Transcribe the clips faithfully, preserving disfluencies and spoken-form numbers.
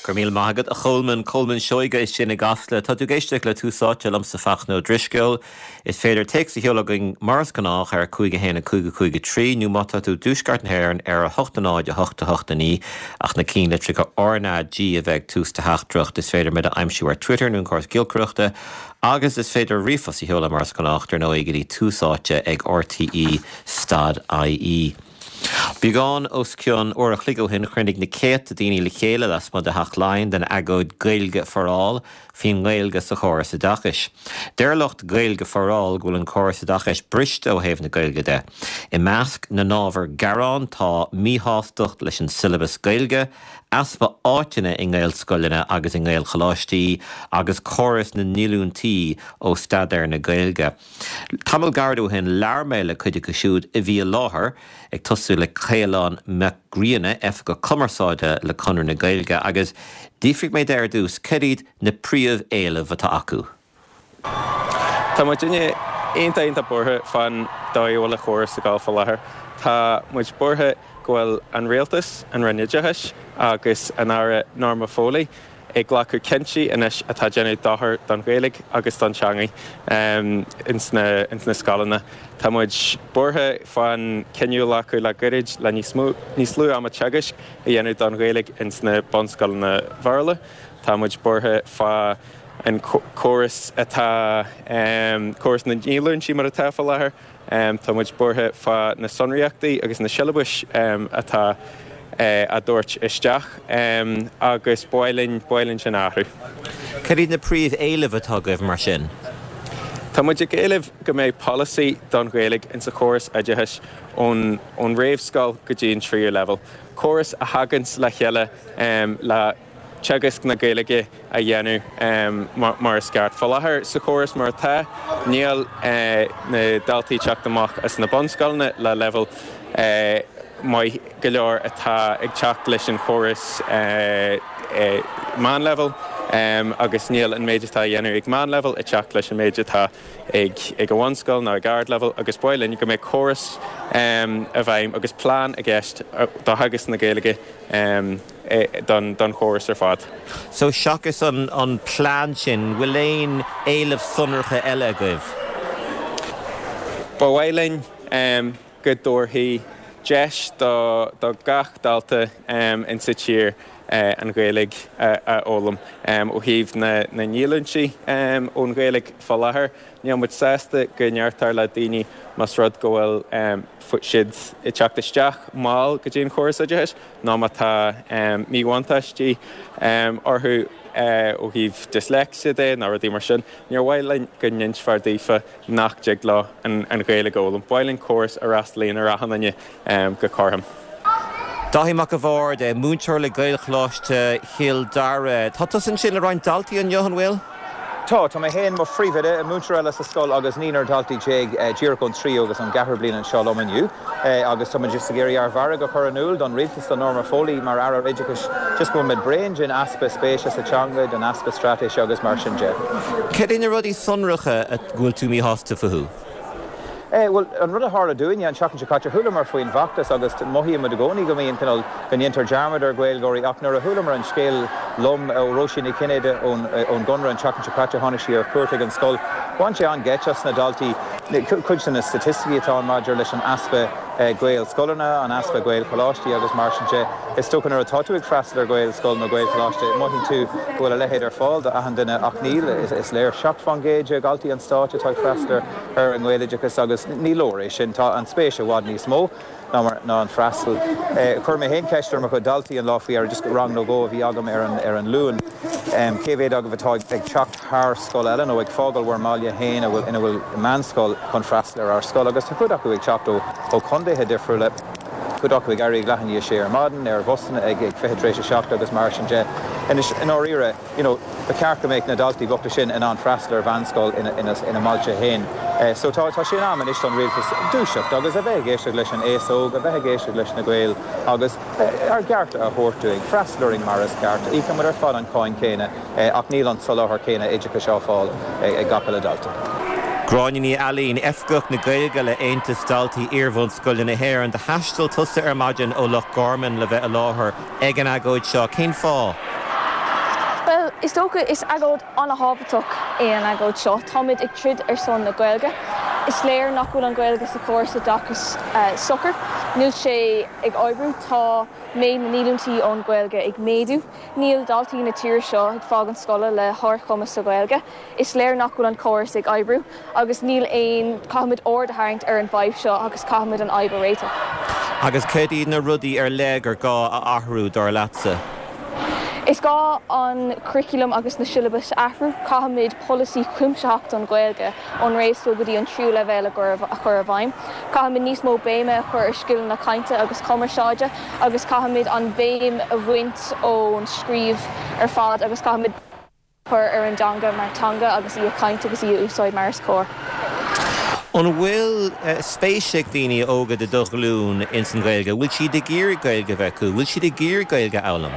Go raibh míle maith agat a Cholman Colman Seoige sin i gCasla Tá tú ag éisteacht le Tús Áite liomsa Fachtna Ó Drisceoil. Is féidir téacs a sheoladh chugainn mar is gnách ar cúig a haon a cúig a cúig a trí nó má tá tú i dtuaisceart na hÉireann ar a hocht a náid a hocht a hocht a naoi ach na ceannlitreacha RnaG a bheith ag tús do theachtaireacht is féidir muid a aimsiú ar Twitter nó an córas giolcaireachta agus is féidir ríomhphost a sheoladh mar is gnách ar ndóigh go dtí tús áite ag RTE stad IE. Beagán os cionn uair a chloig ó shin chruinnigh na céadta daoine le chéile lasmuigh de Theach Laighean don agóid Gaeilge for All faoin nGaeilge sa chóras oideachais. Deir lucht Gaeilge for All go bhfuil an córas oideachais briste ó thaobh na Gaeilge de. I measc na n-ábhar gearán tá míshástacht leis an siollabas Gaeilge, easpa áiteanna i nGaelscoileanna agus i nGaelcholáistí agus córas na ndíolúintí ó staidéar na Gaeilge. Tamall gairid ó shin labhair mé le cuid acu siúd a bhí i láthair ag tosú le Caolán Mac Grianna oifigeach cumarsáide le Conradh na Gaeilge agus d'fhiafraigh mé de ar dtús cad iad na príomhéilimh atá acu. Tá muid iontach iontach buartha fán dóigh a bhfuil an córas ag dul faoi láthair. Tá muid buartha go bhfuil an rialtas, an Roinn Oideachais agus an Aire Norma Foley ag glacadh cinntí anois atá déanamh dochar don Ghaeilge agus don teanga um, ins na, ins na scoileanna. Tá muid buartha fán cinneadh a glacadh le gairid le níos mó níos lú ama teagaisc a dhéanamh don Ghaeilge ins na bunscoileanna Béarla. Tá muid buartha fá an córas atá um, córas na ndíolúintí mar atá faoi láthair. Um, tá muid buartha fá na sonraíochtaí agus na siollabais um, atá uh, á dtabhairt isteach um, agus b'áil b'áil linn sin athrú. Cad iad na príomhéilimh atá agaibh mar sin. Tá muid ag éileamh go mbeidh polasaí don Ghaeilge in sa chóras oideachais ón ón réamhscoil go dtí an tríú leibhéal. Córas a thagann le chéile um, le teagasc na Gaeilge a dhéanamh um, mar, mar is ceart. Faoi láthair sa chóras mar atá níl uh, na daltaí teacht amach as na bunscoileanna le leibhéal uh, maith go leor atá ag teacht leis an chóras uh, uh, meánleibhéal um, agus níl an méid atá dhéanamh ag meánleibhéal ag teacht leis an méid atá ag ag an bhunscoil ná ag ardleibhéal agus b'áil linn go mbeidh córas um, a bheidh agus plean i gceist do theagasc na Gaeilge um, don, don chóras ar fad. So seachas an, an plean sin, bhfuil aon éileamh sonracha eile agaibh. Ba mhaith linn um, go dtabharfaí deis do, do gach dalta um, in sa tír uh, an Ghaeilge uh, a fhoghlaim um, ó thaobh na, na ndíolúintí um, ón Ghaeilge faoi láthair. Níl muid sásta go ndeirtear le daoine más rud go bhfuil um, siad ag teacht isteach mall go dtí an chóras oideachais ná má tá um, míbhuntáistí um, orthu uh, ó thaobh dyslexia de ná rudaí mar sin. Níor mhaith linn go n-insfear daofa nach dtig leo an, an Ghaeilge a fhoghlaim. B'áil linn córas a fhreastalaíonn ar achan duine um, go cothrom. Dáithí Mac a' Bhaird múinteoir le Gaelcholáiste Chill Dara. Tá tusa ansin le roinnt daltaí inniu an bhfuil? Tá tá mé féin mo phríomhoide múinteoir eile sa scoil agus naonúr daltaí déag díreach ón tríú agus an ceathrú bliain anseo liom inniu agus tá just ag iarraidh ár bhfearg a chur in iúl don rialtas do Norma Foley mar Aire Oideachais just go bhfuil bréan den easpa spéise sa teanga den easpa straitéise agus mar sin de. Cad iad na rudaí sonracha a bhfuil tú míshásta fúthu? Eh, well, an rud a tharla dúinne an seachtain seo caite chualamar faoin bhfeachtas agus mothaímid i gcónaí go mbíonn cineál go ndéantar dearmad ar Ghaeilgeoirí ach nuair a chualamar an scéal lom ó Róisín Ní Chinnéide ón ón gConradh an tseachtain seo caite tháinig sí ar cuairt ag an scoil. Bhain sé an-gheit as na daltaí cuid de na staitisticí atá maidir leis an easpa Gaelscoileanna, an easpa Gaelcholáistí agus mar sin de. Is dócha nuair atá tú ag freastal ar Ghaelscoil nó Gaelcholáiste mothaíonn tú go bhfuil a leithéid ar fáil do achan duine ach níl is léir seacht faoin gcéad de dhaltaí an stáit atá ag freastal ar an nGaeloideachas agus ní leor é sin tá an spéis i bhfad níos mó ná ná an freastal. Chuir mé féin ceist ar mo chuid daltaí an lá faoi ar just rang nó dhó a bhí agam ar an ar an Luan. Um, cé mhéad agaibh atá ag teacht thar scoil eile nó ag fágáil bhur mbaile féin a bhfuil ina bhfuil meánscoil chun freastal ar ár scoil agus tá cuid acu ag teacht ó ó chontaetha difriúla cuid acu ag éirí leath i ndiaidh a sé ar maidin ar bhusanna ag ag fiche tar éis a seacht agus mar sin de. Inis in áiríre, you know, ba cheart go mbeadh na daltaí bochta sin in ann freastal ar mheánscoil ina, ina, ina mbailte féin. Uh, so tá tá sé in am anois don rialtas dúiseacht agus a bheith ag éisteacht leis an aos óg, a bheith ag éisteacht leis na Gaeil agus uh, ár gcearta a thabhairt dúinn, freastal orainn mar is ceart, íocaimid ar fad an cáin céanna uh, ach níl an soláthar céanna oideachais á fháil ag gach uile dalta. Gráinne Ní Ailín Oifigeach na Gaeilge le Aontas Daltaí Iarbhunscoile na hÉireann do thaistil tusa ar maidin ó Loch Garman le bheith i láthair ag an agóid seo cén fáth. Well, is dócha is agóid an-thábhachtach é an agóid seo. Táimid ag troid ar son na Gaeilge. Is léir nach bhfuil an Ghaeilge sa chóras oideachais uh, socair. Níl sé ag oibriú tá méid na ndíolúintí ón Ghaeilge ag méadú. Níl daltaí na tíre seo ag fágáil scoile le hardchumas sa Ghaeilge. Is léir nach bhfuil an córas ag oibriú, agus níl aon caithfimid aird a tharraingt ar an bhfadhb seo agus caithfimid an fhadhb a réiteach. Agus cad iad na rudaí ar leith gur gá a athrú dar leatsa. Is gá an curriculum agus na syllabus athrú caithfimid polasaí cuimsitheach don Ghaeilge ón réamhscoil go dtí an tríú leibhéal a chur i bhfeidhm. Caithfimid níos mó béime a chur ar scileanna cainte agus cumarsáide agus caithfimid an bhéim a bhaint ón scríobh ar fad agus caithfimid chur ar an dteanga mar teanga agus í a chaint agus í a úsáid mar is cóir. An bhfuil uh, spéis ag daoine óga de do ghlúin ins an Ghaeilge, bhfuil siad ag iarraidh Gaeilge bheith acu, bhfuil siad ag iarraidh Gaeilge a fhoghlaim.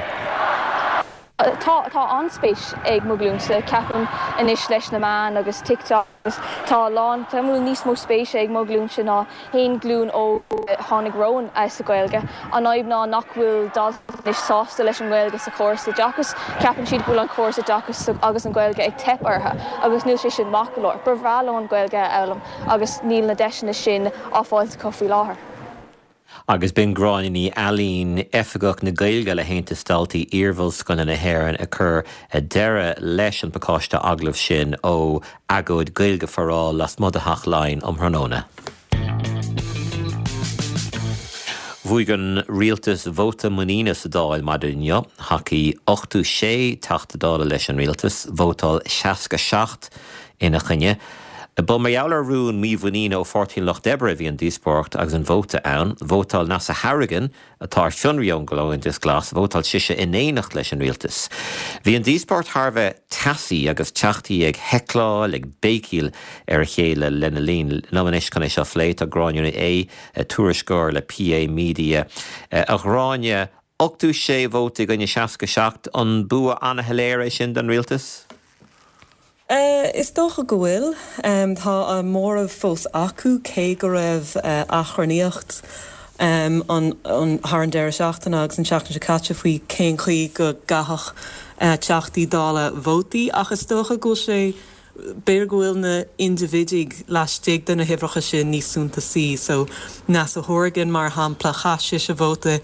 Tá tá an-spéis ag mo ghlúinse ceapaim anois leis na meáin agus TikTok agus tá lán tá níos mó spéise ag mo ghlúinse ná haon ghlúin ó tháinig romhainn sa Ghaeilge. An fhadhb ná nach bhfuil daltaí anois sásta leis an Ghaeilge sa chóras oideachais, ceapann siad go bhfuil an córas oideachais agus an Ghaeilge ag teip orthu agus níl sé sin maith go leor. Ba bhreá leo an Ghaeilge a fhoghlaim agus níl na deiseanna sin á fáil acu faoi láthair. Agus b'in Gráinne Ní Ailín Oifigeach na Gaeilge le hAontas Daltaí Iarbhunscoile na hÉireann ag cur deireadh leis an pacáiste agallamh sin ó agóid Gaeilge for All lasmuigh de Theach Laighean um thráthnóna. Bhuaigh an rialtas vóta muiníne sa Dáil maidin inniu, thacaigh ochtó sé Teachta Dála leis an rialtas, vótáil seasca seacht ina choinne. Ba mar gheall ar rún mímhuiníne ó Pháirtí an Lucht Oibre a bhí an díospóireacht agus an vóta ann. Vótáil Neasa Hourigan atá ar fionraí ón gComhaontas Glas, vótáil sise in éineacht leis an rialtas. Bhí an díospóireacht thar a bheith teasaí agus teachtaí ag heicleáil, ag béicíl ar a chéile lena linn. Liom anois chun é seo a phlé tá Gráinne Ní Aodha, tuairisceoir le PA Media. A Ghráinne, ochtó sé vóta i gcoinne seasca seacht, an bua an-shoiléir é sin don rialtas? Is dócha go bhfuil. Tá a móramh fós acu cé go raibh achrannaíocht thar an deireadh seachtaine agus an tseachtain seo caite faoi cén chaoi go gcaithfeadh Teachtaí Dála vótaí ach is dócha go bhfuil sé b'fhéidir go bhfuil na indibhidigh laistigh de na huimhreacha sin níos suntasaí. So Neasa Hourigan mar shampla chaith sise vóta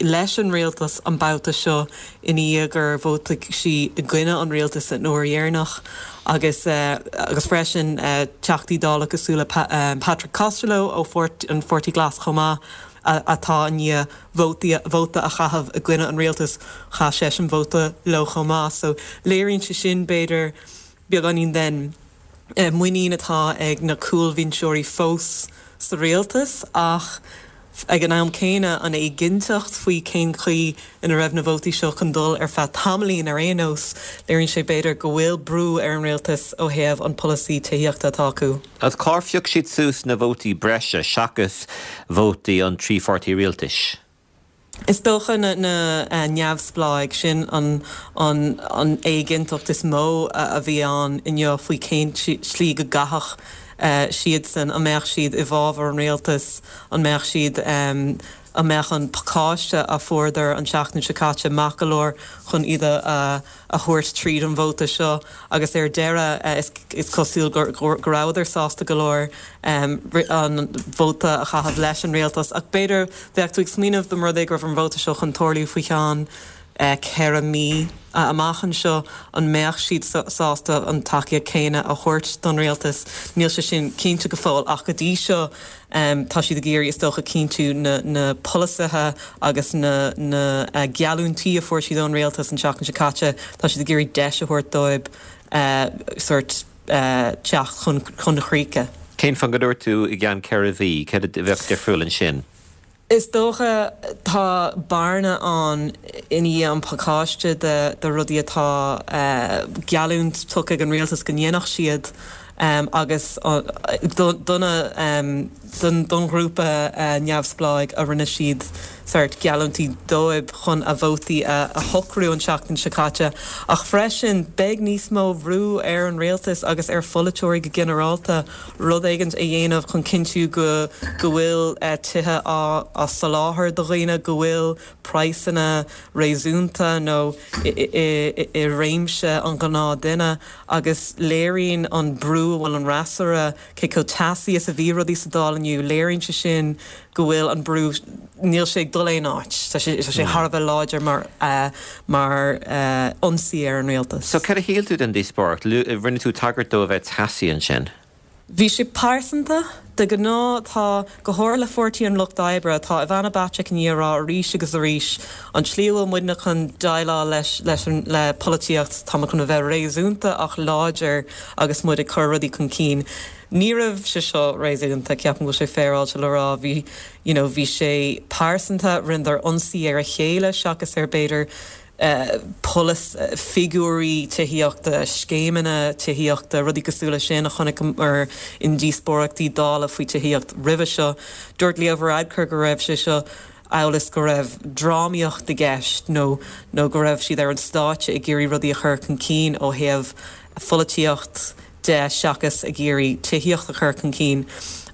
leis an rialtas an babhta seo i ndiaidh gur vótaigh sí i gcoinne an rialtais an uair dheireanach agus agus freisin Teachtaí Dála cosúil le Patrick Costello ó an Pháirtí Glas chomh maith atá i ndiaidh vótaí vóta a chaitheamh i gcoinne an rialtais chaith seisean vóta leo chomh maith. So léiríonn sé sin b'fhéidir beagáinín den muinín atá ag na cúlbhinseoirí fós sa rialtas ach ag an am céanna an éiginnteacht faoi cén chaoi ina raibh na vótaí seo chun dul ar feadh tamaillín ar aon nós, léiríonn sé b'fhéidir go bhfuil brú ar an rialtas ó thaobh an polasaí tithíochta atá acu. Agus cár phioc siad suas na vótaí breise seachas vótaí an trí pháirtí rialtais? Is dócha na na neamhspleáigh sin an an an éiginnteacht is mó a bhí ann inniu faoi cén slí go gcaithfeadh siadsan, an mbeadh siad i bhfabhar an rialtais, an mbeadh siad an mbeadh an pacáiste a fuaireadar an tseachtain seo caite maith go leor chun iad a a thabhairt tríd an vóta seo agus ar deireadh is cosúil go rabhadar sásta go leor an vóta a chaitheamh leis an rialtas ach b'fhéidir bheadh tú ag smaoineamh dá mba rud é go raibh an vóta seo chun tarlú faoi cheann ceithre mhí amach anseo an mbeadh siad sásta an tacaíocht céanna a thabhairt don rialtas. Níl sé sin cinnte go fóill ach go dtí seo tá siad ag iarraidh is dócha cinntiú na na polasaithe agus na na geallúintí a fuair siad ón rialtas an tseachtain seo caite, tá siad ag iarraidh deis a thabhairt dóibh sórt teacht chun chun críche. Cén fáth go dúirt tú i gceann ceithre mhí? Céard a bheadh difriúil ansin? Is dócha tá bearna ann i ndiaidh an pacáiste de de rudaí atá geallúint tugtha ag an rialtas go ndéanfadh siad agus do na don don ghrúpa neamhspleách a rinne siad sórt geallúintí dóibh chun a vótaí a a shocrú an tseachtain seo caite. Ach freisin beidh níos mó bhrú ar an rialtas agus ar pholaiteoirí go ginearálta rud éigin a dhéanamh chun cinntiú go go bhfuil tithe á á soláthar do dhaoine, go bhfuil praghsanna réasúnta nó i réimse an ghnáthduine agus léiríonn an brú a bhfuil an fhreasúra, cé chomh teasaí is a bhí rudaí sa Dáil inniu, léiríonn sé sin go bhfuil an brú, níl sé ag dul aon áit, tá sé tá sé thar a bheith láidir mar mar ionsaí ar an rialtas. So cad a shíl tú den díospóireacht? Rinne tú tagairt dó a bheith teasaí ansin. Bhí sé pearsanta. De ghnáth tá, go háirithe le Pháirtí an Lucht Oibre, tá Ivana Bacik i ndiaidh a rá arís agus arís, an tslí a bhfuil muidne chun déileáil leis leis an le polaitíocht, tá muid chun a bheith réasúnta ach láidir agus muid ag cur rudaí chun cinn. Ní raibh sé seo réasúnta, ceapaim go bhfuil sé féaráilte le rá. Bhí, you know, bhí sé pearsanta, rinneadar ionsaí ar a chéile seachas ar b'fhéidir polasaithe, figiúirí tithíochta, scéimeanna tithíochta, rudaí cosúil leis sin a chonaiceamar i ndíospóireachtaí Dála faoi tithíocht roimhe seo. Dúirt Leo Varadkar go raibh sé seo amhail is go raibh drámaíocht i gceist nó nó go raibh siad ar an stáitse ag iarraidh rudaí a chur chun cinn ó thaobh pholaitíocht de seachas ag iarraidh tithíocht a chur chun cinn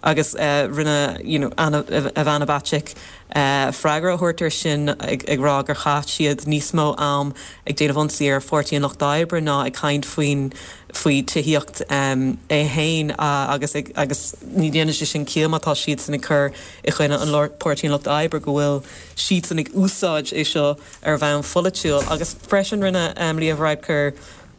agus rinne you know Ivana Bacik freagra a thabhairt air sin ag ag rá gur chaith siad níos mó am ag déanamh ionsaí ar Pháirtí an Lucht Oibre ná ag caint faoin faoi tithíocht é féin agus ag agus ní dhéanann sé sin ciall má tá siadsan ag cur i gcoinne an Páirtí an Lucht Oibre go bhfuil siadsan ag úsáid é seo ar bhonn pholaitiúil agus freisin rinne Leo Varadkar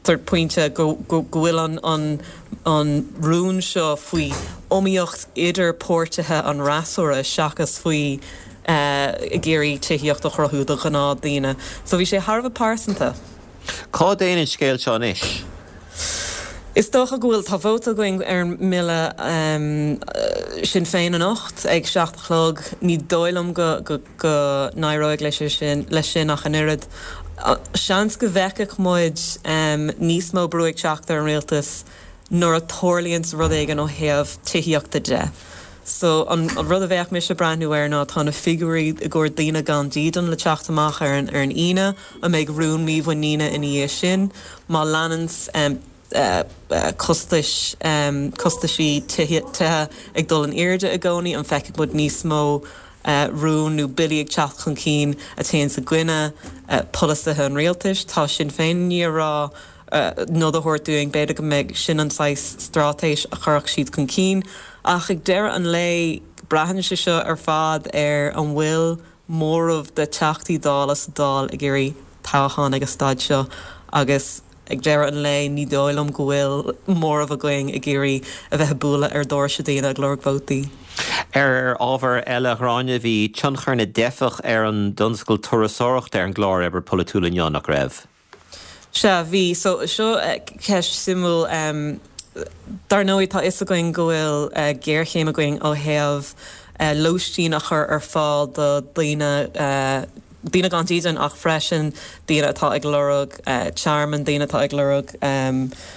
sórt pointe go go bhfuil an an an rún seo faoi iomaíocht idir páirtithe an fhreasúra seachas faoi ag iarraidh tithíocht a chruthú do ghnáthdhaoine. So bhí sé thar a bheith pearsanta. Cá dtéann an scéal seo anois? Is dócha go bhfuil, tá vóta againn ar an mbille Sinn Féin anocht ag seacht a chlog. Ní dóigh liom go go go n-éireoidh leis sin leis sin ach an oiread. Seans go bhfeicfeadh muid níos mó brú ag teacht ar an rialtas nuair a tarlaíonn rud éigin ó thaobh tithíochta de. So an rud a bheadh mise ag breathnú air ná tá na figiúirí i gcomhair daoine gan dídean le teacht amach ar an ar an Aoine, an mbeidh rún mímhuiníne ina dhiaidh sin? Má leanann costais costaisí tithe ag dul in airde i gcónaí, an bhfeicfidh muid níos mó rún nó billí ag teacht chun cinn a théann i gcoinne polasaithe an rialtais. Tá Sinn Féin i ndiaidh a rá nod a thabhairt dúinn, b'fhéidir go mbeidh sin an saghas straitéis a chuirfeadh siad chun cinn. Ach ag deireadh an lae, braitheann sé seo ar fad ar an bhfuil móramh de Theachtaí Dála sa Dáil ag iarraidh toghchán ag an staid seo agus ag deireadh an lae ní dóigh liom go bhfuil móramh againn ag iarraidh a bheith ag bualadh ar dhoirse daoine ag lorg vótaí. Ar ábhar eile, a Ghráinne, bhí tionchar na dteifeach ar an dtionscal turasóireachta ar an gclár oibre polaitiúil inniu, nach raibh? Sea, bhí. So, seo ceist suimiúil. Dar ndóigh, tá fhios againn go bhfuil géarchéim againn ó thaobh lóistín a chur ar fáil do dhaoine, daoine gan dídean ach freisin daoine atá ag lorg tearmann, daoine atá ag lorg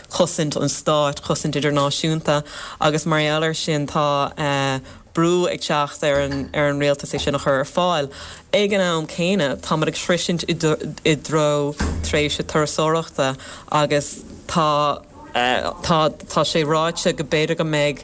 cosaint an stáit, cosaint idirnáisiúnta agus mar gheall air sin tá brú ag teacht ar an ar an rialtas é sin a chur ar fáil. Ag an am céanna táimid ag sroisint i dtreo tréimhse turasóireachta agus tá tá tá sé ráite go b'fhéidir go mbeidh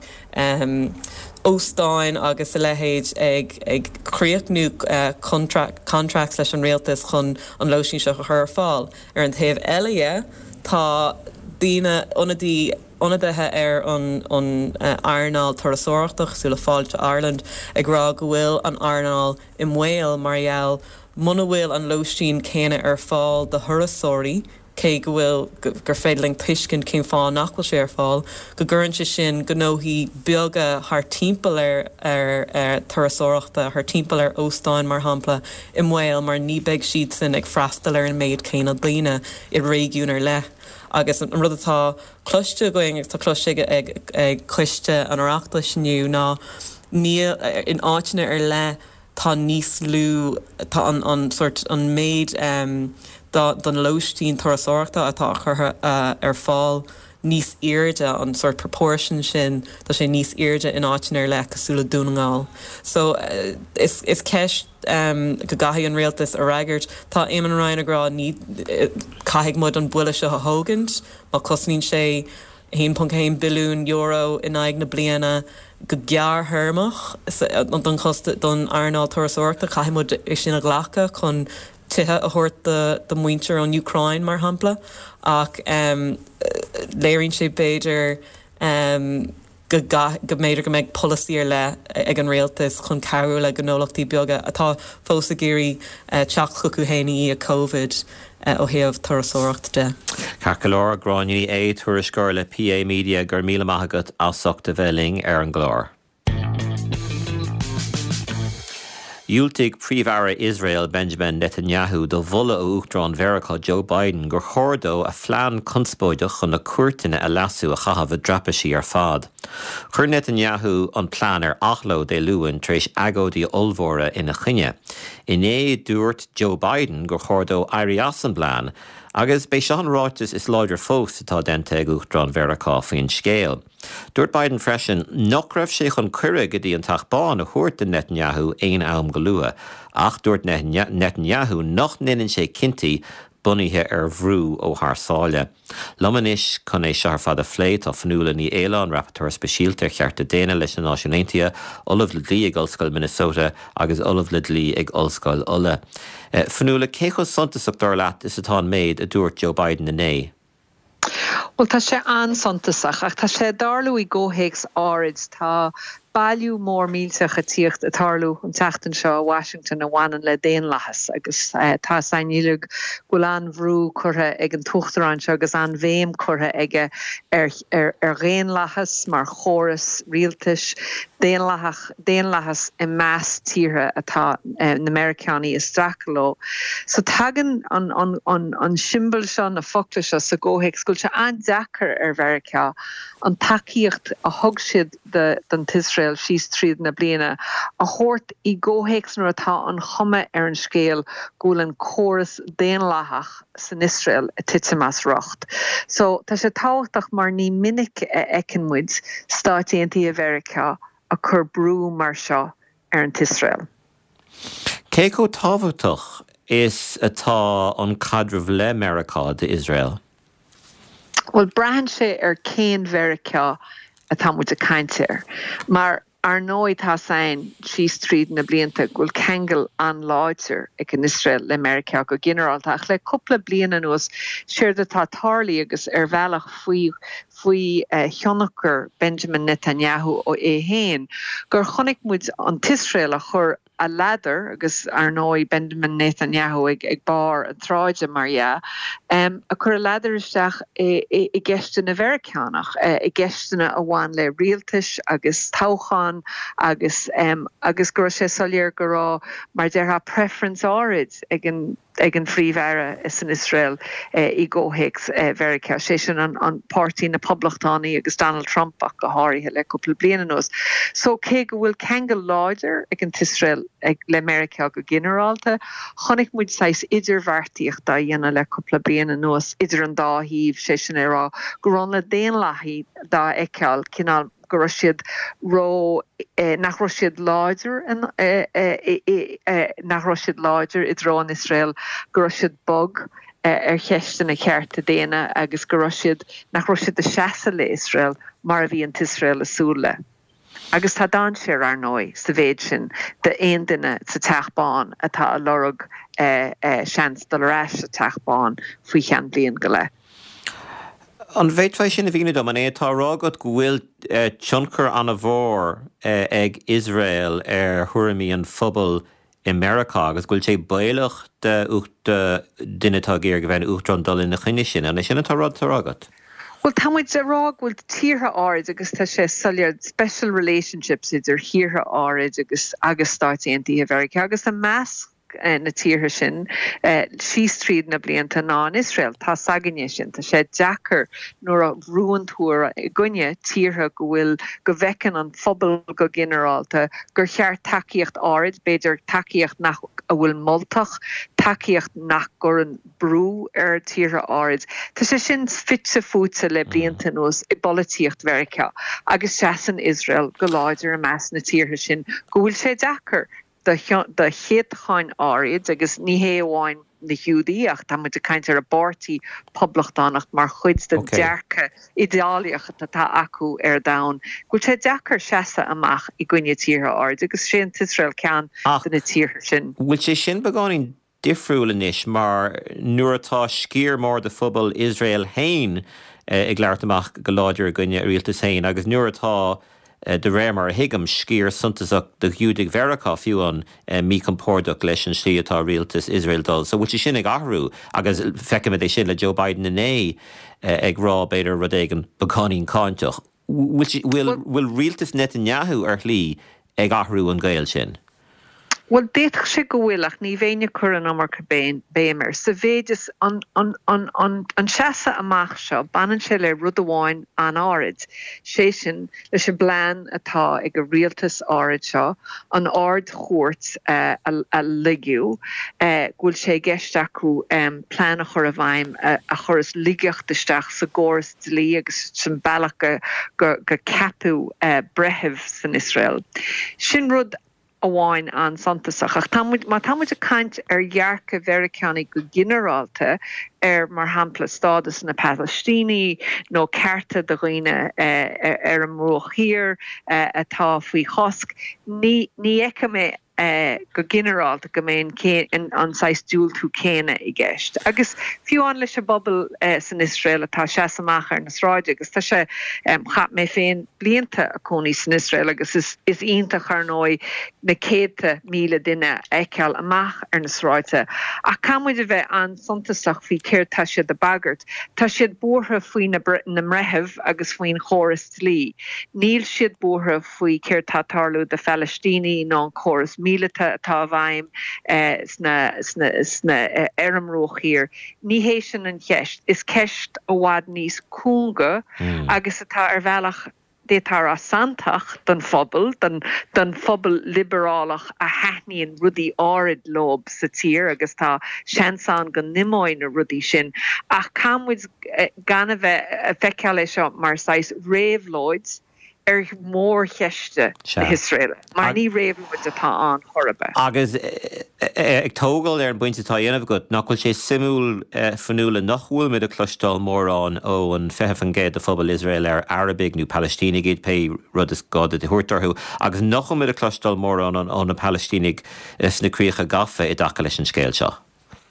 óstáin agus a leithéid ag ag críochnú contracts leis an rialtas chun an lóistín seo a chur ar fáil. Ar an taobh eile dhe, tá daoine, ionadaí, ionadaithe ar an an earnáil turasóireachta, cosúil le Fáilte Ireland, ag rá go bhfuil an earnáil i mbaol mar gheall muna bhfuil an lóistín céanna ar fáil do thurasóirí, cé go bhfuil, gur féidir linn tuiscint cén fáth nach bhfuil sé ar fáil, go gcuireann sé sin gnóthaí beaga thar timpeall ar ar turasóireachta, thar timpeall ar óstáin mar shampla, i mbaol mar ní beidh siadsan ag freastal ar an méid céanna daoine i réigiún ar leith. Agus an rud atá cloiste againn agus tá cloiste ag ag Coiste an Oireachtais inniu ná níl, in áiteanna ar leith, tá níos lú, tá an, an sórt, an méid don lóistín turasóireachta atá curtha ar fáil níos airde an sort proportion sin tá sé níos airde in áiteanna ar leith cosúil le Dún na nGall. So uh, is, is ceist um, go gcaithfidh an rialtas a fhreagairt Tá Eamon Ryan ag rá ní eh, caithfidh muid an buille seo a thógaint má cosnaíonn sé haon ponc haon billiún euro in aghaidh na bliana go gearrthéarmach don chost don earnáil turasóireachta caithfidh muid é sin a ghlacadh chun tithe a thabhairt do mhuintir ón Úcráin mar shampla ach um, léiríonn sé b'fhéidir um, go go mb'fhéidir go mbeidh polasaí ar leith ag an rialtas chun cabhrú le gnólachtaí beaga atá fós ag iarraidh uh, teacht chucu féin i COVID uh, ó thaobh turasóireacht de. Ceart go leor Gráinne Ní Aodha tuairisceoir le PA Media gur míle maith agat as ucht a bheith linn ar an gclár. Dhiúltaigh Príomh-Aire Iosrael Benjamin Netanyahu do mholadh ó Uachtarán Mheiriceá Joe Biden gur chóir dó a phlean conspóideach chun na cúirteanna a leasú a chaitheamh i dtraipisí ar fad. Chuir Netanyahu an plean ar athló Dé Luain tar éis agóidí ollmhóra ina choinne. Inné dúirt Joe Biden gur chóir dó éirí as an bplean agus b'é seo an ráiteas is láidre fós atá déanta ag Uachtarán Mheiriceá faoin scéal. Dúirt Biden freisin nach raibh sé chun cuireadh go dtí an Teach Bán a thabhairt do Netanyahu aon am go luath, ach dúirt Netanyahu nach ndéanann sé cinntí bunaithe ar bhrú ó thar sáile. Liom anois chun é seo ar fad a phlé tá Fionnuala Ní Aoláin, Rapporteur Speisialta ar Chearta Daonna leis na Náisiúin Aontaithe, Ollamh le Dlí ag Ollscoil Minnesota agus Ollamh le Dlí ag Ollscoil Uladh. Fionnuala, cé chomh suntasach dar leat is atá an méid a dúirt Joe Biden inné? Bhuel tá sé an-suntasach ach tá sé ag tarlú i gcomhthéacs áirid. Tá bailiú mór millteach ag tíocht ag tarlú an tseachtain seo i Washington a bhaineann le daonlathas agus tá 's againn uilig go bhfuil an-bhrú curtha ag an tUachtarán seo agus an-bhéim curtha aige ar ar dhaonlathas mar chóras rialtais, daonlathach, daonlathas i measc tíortha atá na Meiriceánaigh ag streachailt leo. So tagann an an an an siombail seo, na focla seo sa gcomhthéacs go bhfuil sé an-deacair ar Mheiriceá an tacaíocht a thug siad don tIosrael síos tríd na bliana a thabhairt i gcomhthéacs nuair atá an chuma ar an scéal go bhfuil an córas daonlathach san Iosrael ag titim as riocht. So tá sé tábhachtach mar ní minic a fheiceann muid Stáit Aontaithe Mheiriceá ag cur brú mar seo ar an tIosrael. Cé chomh tábhachtach is atá an caidreamh le Meiriceá d'Iosrael? Bhuel, braitheann sé ar cén Mheiriceá atá muid ag caint air. Mar ar ndóigh tá 's againn síos tríd na blianta go bhfuil ceangal an-láidir ag an Iosrael le Meiriceá go ginearálta ach le cúpla bliain anuas séard atá tarlaithe agus ar bhealach faoi faoi thionchar Benjamin Netanyahu é féin gur chonaic muid an tIosrael a chur a ladar, agus ar ndóigh Benjamin Netanyahu ag ag barr an tsráide mar dhea, ag cur a ladar isteach i i gceisteanna Mheiriceánach, i gceisteanna a bhain le rialtais agus toghcháin agus agus go raibh sé soiléir go raibh, mar déarfá, preference áirid ag an ag an Phríomh-Aire san Iosrael i gcomhthéacs Mheiriceá, sé sin an páirtí na Poblachtánaigh agus Donald Trump ach go háirithe le cúpla bliain anuas. So cé go bhfuil ceangal láidir ag an tIosrael le Meiriceá go ginearálta, chonaic muid saghas idirbheartaíocht á dhéanamh le cúpla bliain anuas idir an dá thaobh, sé sin a rá go raibh na Daonlathaigh dá fheiceáil cineál go raibh siad ró nach raibh siad láidir nach raibh siad láidir i dtreo an Iosrael, go raibh siad bog ar cheisteanna cearta daonna agus go raibh siad nach raibh siad ag seasamh le Iosrael mar a bhí an tIosrael ag súil le. Agus tá dainséar, ar ndóigh, sa mhéid sin d'aon duine sa Teach Bán atá ag lorg seans dul ar ais sa Teach Bán faoi cheann bliain go leith. An bhféadfá é sin a mhíniú dom? An é atá á rá agat go bhfuil tionchar an-mhór ag Iosrael ar thuairimí an phobail i Meiriceá agus go bhfuil sé baolach do dhuine atá ag iarraidh a bheith ina uachtarán dul ina choinne sin? An é sin atá á rá agat? Bhuel, tá muid ag rá go bhfuil tíortha áirid, agus tá sé soiléir, special relationships idir thíortha áirid agus agus Stáit Aontaithe Mheiriceá agus i measc na tíortha sin síos tríd na blianta ná an Iosrael. Tá 's againne sin. Tá sé deacair nuair a bhrúann tú i gcoinne tíortha go bhfuil, go bhfeiceann an phobal go ginearálta gur cheart tacaíocht áirid, b'fhéidir tacaíocht nach a bhfuil moltach, tacaíocht nach gcuireann brú ar tíortha áirid. Tá sé sin fite fuaite le blianta anuas i bpolaitíocht Mheiriceá agus seasann Iosrael go láidir i measc na tíortha sin go bhfuil sé deacair do chéatacháin áirid agus ní hé amháin na Giúdaigh ach tá muid ag caint ar an bpáirtí Poblachtánach mar chuid den dearcadh idéalaíoch atá acu ar domhan, go bhfuil sé deacair seasamh amach i gcoinne tíortha áirid agus sé an tIosrael ceann de na tíortha sin. Bhfuil sé sin beagáinín difriúil anois mar nuair atá sciar mór de phobal Iosrael féin ag labhairt amach go láidir i gcoinne a rialtas féin agus nuair atá, de réir mar a thuigim, sciar suntasach de Ghiúdaigh Mheiriceá fiú amháin míchompordach leis an slí atá rialtas Iosrael dul. So bhfuil sé sin ag athrú agus feicimid é sin le Joe Biden inné ag rá b'fhéidir rud éigin beagáinín cáinteach. Bhfuil rialtas Netanyahu ar shlí ag athrú an gaol sin? Bhuel, d'fhéadfadh sé go bhfuil, ach ní bheinn ag cur an iomarca béim air. Sa mhéid is an an seasamh amach seo, baineann sé le rud amháin an-áirid, sé sin, leis an bplean atá ag an rialtas áirid seo an Ard-Chúirt a laigiú, go bhfuil sé i gceist acu plean a chur i bhfeidhm a chuireas laigeacht isteach sa gcóras dlí agus san bealach go gceapadh breithimh san Iosrael. Sin rud amháin an-suntasach. Ach tá muid, má tá muid ag caint ar dhearcadh Mheiriceánaigh go ginearálta ar, mar shampla, stádas na Palaistínigh nó cearta do dhaoine ar an mBruach Thiar atá faoi chosc, ní ní fheicim é go ginearálta go mbeidh an an saghas diúltú céanna i gceist. Agus fiú amháin leis an bpobal san Iosrael atá ag seasamh amach ar na sráide agus tá sé, chaith mé féin blianta ag cónaí san Iosrael agus is is iontach ar ndóigh na céadta míle duine a fheiceáil amach ar na sráide. Ach caithfidh muid a bheith an-suntasach faoi céard tá siad ag bagairt. Tá siad buartha faoi na na mbreithimh agus faoin chóras dlí. Níl siad buartha faoi céard tá ag tarlú do Phalaistínigh ná an córas míleata atá i bhfeidhm sna sna sna ar an mBruach Thiar. Ní hé sin an cheist. Is ceist i bhfad níos cúnga agus atá ar bhealach d'fhéadfá a rá santach don phobal, don don phobal liobrálach a thaitníonn rudaí áirid leo sa tír agus tá seans ann go n-imeoidh na rudaí sin ach caithfidh muid gan a bheith ag feiceáil é seo mar saghas réabhlóid ar mhórcheist na hIosraeile, mar ní réabhlóid atá ann chor ar bith. Agus ag tógáil ar an bpointe atá á dhéanamh agat, nach bhfuil sé suimiúil, Fionnuala, nach bhfuilimid ag cloisteáil mórán ó an fiche faoin gcéad de phobal Iosrael ar Arabaigh nó Palaistínigh iad, pé rud is gá duit a thabhairt orthu, agus nach bhfuilimid ag cloisteáil mórán ó na Palaistínigh sna críocha gafa i dtaca leis an scéal seo?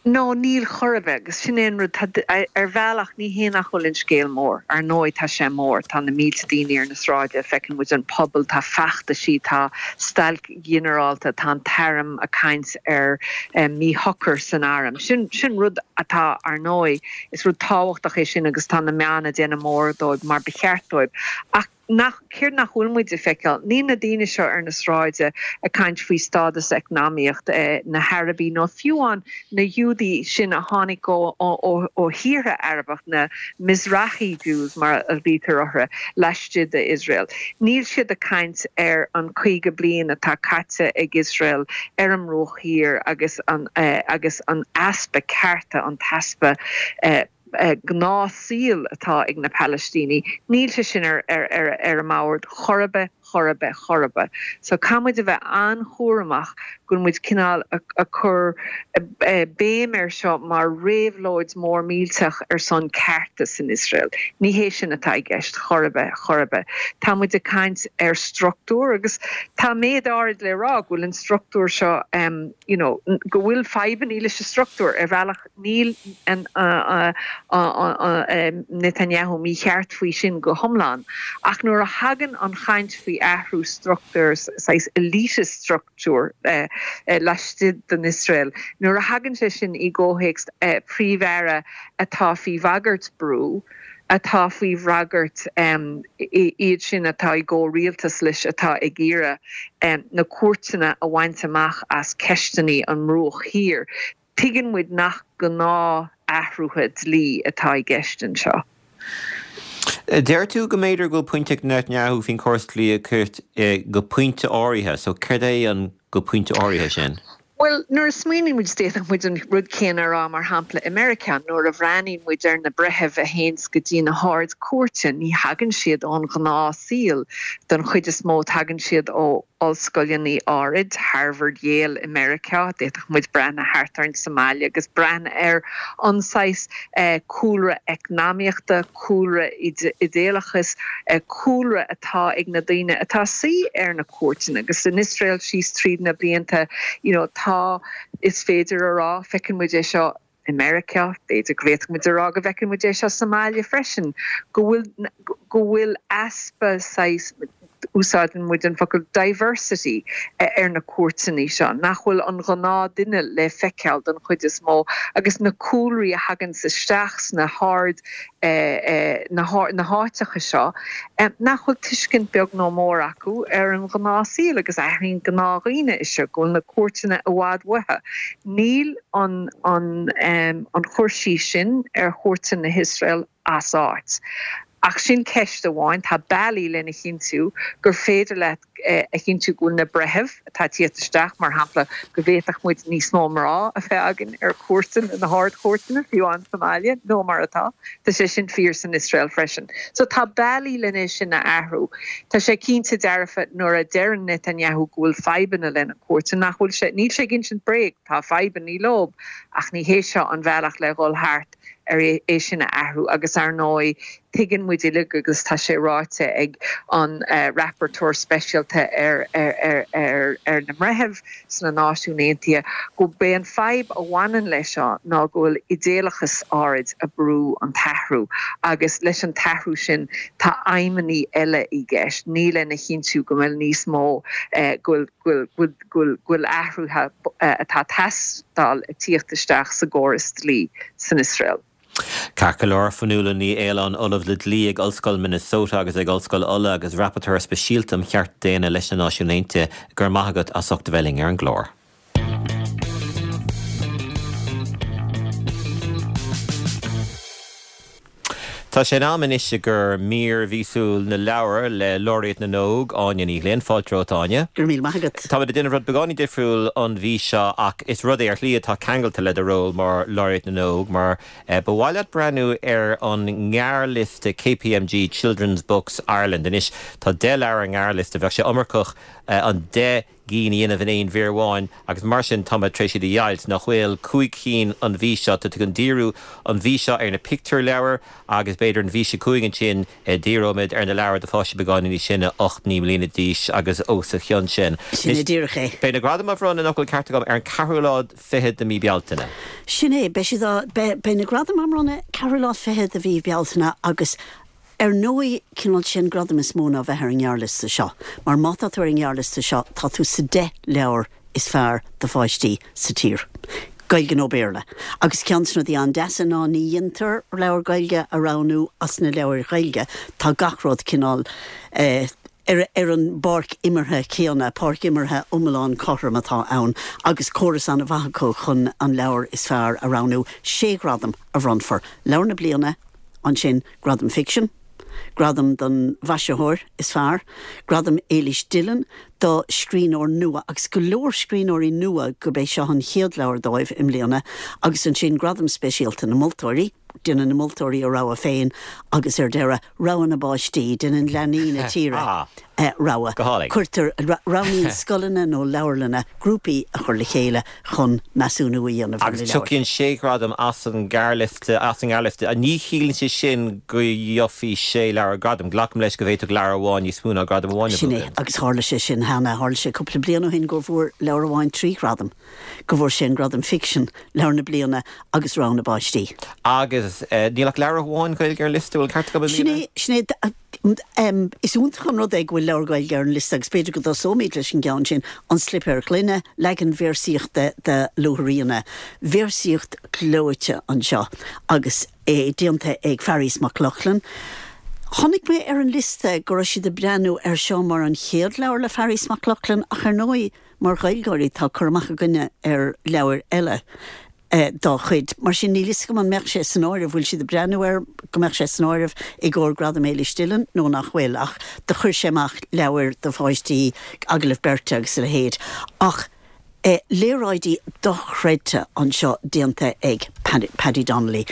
No, níl chor ar bith, agus sin é an rud, tá, ar bhealach, ní hé nach bhfuil an scéal mór, ar ndóigh tá sé mór, tá na mílte daoine ar na sráide, feiceann muid an pobal, tá feachtaisí, tá stailc ghinearálta, tá an t-arm ag caint ar míshocair san arm. Sin, sin rud atá, ar ndóigh, is rud tábhachtach é sin agus tá na meáin ag déanamh mór dóibh mar ba cheart dóibh. Ach nach, céard nach bhfuil muid ag feiceáil? Níl na daoine seo ar na sráide ag caint faoi stádas eacnamaíocht na hArabaigh nó fiú amháin na Giúdaigh sin a tháinig ó ó thíortha Arabach, na Mizrahi Jews mar a ghlaoitear orthu, laistigh de Iosrael. Níl siad ag caint ar an caoga bliain atá caite ag Iosrael ar an mBruach Thiar agus an agus an easpa cearta, an t-easpa gnáthshaoil atá ag na Palaistínigh, níl sé sin ar ar an mbord chor ar bith, chor ar bith, chor ar bith. So caithfidh muid a bheith an-chúramach go bhfuil muid cineál ag cur béim air seo mar réabhlóid mór millteach ar son cearta san Iosrael. Ní hé sin atá i gceist chor ar bith, chor ar bith. Tá muid ag caint ar struchtúr agus tá méid áirid le rá go bhfuil an struchtúr seo you know go bhfuil fadhbanna leis an struchtúr ar bhealach Níl Netanyahu mícheart faoi sin go hiomlán, ach nuair a thagann an chaint faoi athrú struchtúir, saghas elitist structure laistigh den Iosrael, nuair a thagann sé sin i gcomhthéacs príomh-aire atá faoi bhagairt brú, atá faoi bhagairt iad sin atá i gcomhrialtas leis atá ag iarraidh na cúirteanna a bhaint amach as ceisteanna an mBruach Thiar, Tuigeann muid nach gnáth-athruithe dlí atá i gceist anseo. Deir tú go mb'fhéidir go bhfuil pointe ag Netanyahu faoin chóras dlí a go pointe áirithe, so céard é an go pointe áirithe sin? Bhuel, nuair a smaoiníonn muid, d'fhéadfadh muid an rud céanna a rá, mar shampla, i Meiriceá, nuair a bhreathnaíonn muid ar na breithimh a théanns go dtí na hArd-Chúirte, ní thagann siad ón ghnáthshaol, don chuid is mó tagann siad ó ollscoileanna áirid, Harvard, Yale i Meiriceá, d'fhéadfadh muid breathnú thart orainn sa mbaile agus breathnú ar an saghas cúlra eacnamaíochta, cúlra idéalachais, cúlra atá ag na daoine atá ag suí ar na cúirteanna agus san Iosrael síos tríd na blianta, you know, tá, is féidir a rá, feiceann muid é seo i Meiriceá, b'fhéidir go bhféadfadh muid a rá go bhfeiceann muid é seo sa mbaile freisin, go bhfuil, go bhfuil easpa saghas, úsáideann muid an focal diversity ar na cúirteanna seo, nach bhfuil an gnáthduine le feiceáil don chuid is mó agus na cúlraí a thaganns isteach sna hard na háiteacha seo, nach bhfuil tuiscint beag nó mór acu ar an ghnáthshaol agus aithríonn gnáthdhaoine é seo, go bhfuil na cúirteanna i bhfad uathu. Níl an an cur síos sin ar chúirteanna na hIosrael as áit. Ach sin ceist amháin. Tá bealaí lena chinntiú gur féidir leat a chinntiú go bhfuil na breithimh atá ag tíocht isteach, mar shampla, go bhféadfadh muid níos mó mná a bheith againn ar chúirteanna, na hArd-Chúirteanna, fiú amháin sa mbaile, ná mar atá. Tá sé sin fíor san Iosrael freisin. So tá bealaí lena sin a athrú. Tá sé cinnte dearfa nuair a deireann Netanyahu go bhfuil fadhbanna lena cúirteanna, nach bhfuil sé, níl sé ag insint bréag, tá fadhbanna leo, ach ní hé seo an bhealach le dhul thart ar é sin a athrú agus ar ndóigh tuigeann muid uilig agus tá sé ráite ag an Rapporteur Speisialta ar ar ar na mBreithimh sna Náisiúin Aontaithe go b'é an fadhb a bhaineann leis seo ná go bhfuil idéalachas áirid ag brú an t-athrú agus leis an t-athrú sin tá aidhmeanna eile i gceist, ní lena chinntiú go bhfuil níos mó go bhfuil go bhfuil go bhfuil athruithe atá ag teastáil ag tíocht isteach sa gcóras dlí san Iosrael. Ceart go leor, Fionnuala Ní Aoláin, Ollamh le Dlí ag Ollscoil Minnesota agus ag Ollscoil Uladh agus Rapporteur Speisialta um Chearta Daonna leis na Náisiúin Aontaithe, go raibh maith agat as ucht a bheith linn ar an gclár. Tá sé in am anois i gcomhair mír mhíosúil na leabhar le Laureate na nÓg, Áine Ní Ghlinn. Fáilte romhat, Áine. Go raibh míle maith agat. Táimid ag déanamh rud beagáinín difriúil an mhí seo ach is rud é ar shlí atá ceangailte le do ról mar Laureate na nÓg mar ba mhaith leat breathnú ar an ngearrliosta KPMG Children's Books Ireland. Anois tá deich leabhar ar an ngearrliosta, bheadh sé iomarcach an deich gcinn a dhéanamh in aon mhír amháin agus mar sin táimid tar éis iad a dheighilt, nach bhfuil? Cúig cinn an mhí seo. Tá tú chun díriú an mhí seo ar na pictiúrleabhair agus b'fhéidir an mhí seo chugainn ansin díreoimid ar na leabhair do pháistí beagáinín níos sine, ocht, naoi mbliana d'aois agus os a chionn sin. Sin é díreach é. Beidh na gradaim á bhronnadh, an bhfuil an ceart agam, ar an ceathrú lá fichead de mhí Bealtaine. Sin é. Beidh siad á, beidh, beidh na gradaim á mbronnadh ceathrú lá fichead de mhí Bealtaine agus Ar ndóigh, cineál sé an gradam is mó ná bheith ar an ngearrliosta seo, mar má tá tú ar an ngearrliosta seo, tá tú sa deich leabhar is fearr do pháistí sa tír, Gaeilge nó Béarla. Agus ceann de na rudaí an-deasa ná ní dhéantar leabhar Gaeilge a roghnú as na leabhair Ghaeilge, tá gach rud cineál eh ar ar an bpáirc imeartha céanna, páirc imeartha iomlán cothrom atá ann agus córas an-mhaith acu chun an leabhar is fearr a roghnú. Sé ghradam a bhronnfar, Leabhar na Bliana, Ansin Gradam Ficsin, Gradam don Mhaisitheoir is Fearr, Gradam Éilís Dillon do scríbhneoir nua, agus go leor scríbhneoirí nua gurb é seo an chéad leabhar dóibh i mbliana, agus ansin Gradam Speisialta na Moltóirí, déanann na moltóirí a rogha féin, agus ar deireadh, Rogha na bPáistí, déanann leanaí na tíre rogha. Cuirtear, roghnaíonn scoileanna nó leabharlanna grúpaí a chur le chéile chun measúnú a dhéanamh ar na leabhair. Agus tiocfaidh sé ghradam as an ngearrliosta, as an ngearrliosta. Ní chiallaíonn sé sin go gheofaí sé leabhar gradam. Glacaim leis go bhféadfadh leabhar amháin níos mó ná gradam amháin a Sin é, bhuachan. agus tharla sé sin cheana. Tharla sé cúpla bliain ó shin go bhfuair leabhar amháin trí ghradam, go bhfuair sé an gradam ficsin, leabhar na bliana agus rogha na bpáistí. Agus níl ach leabhar amháin Gaeilge ar an liosta, bhfuil an ceart agam i Sin mbliana? é, sin é. Is iontach an rud é go bhfuil leabhar Gaeilge ar an liosta agus b'fhéidir go dtosóimid leis an gceann sin, An Slipéar Gloine, leagan véarsaíochta de Luaithríona. Véarsaíocht ghleoite anseo agus é déanta ag Fearghas Mac Lochlainn. Chonaic mé ar an liosta go raibh siad ag breathnú air seo mar an chéad leabhar le Fearghas Mac Lochlainn ach ar ndóigh mar Ghaeilgeoirí tá cur amach againne ar leabhair eile. dá chuid. Mar sin, níl fhios agam an mbeadh sé san áireamh, bhfuil siad ag breathnú air go mbeadh sé san áireamh i gcomhair Gradam Éilis Dillon nó nach bhfuil, ach do chuir sé amach leabhair do pháistí, Agallamh Beirte agus a leithéid. Ach Léaráidí dochreidte anseo déanta ag Paddy Donnelly.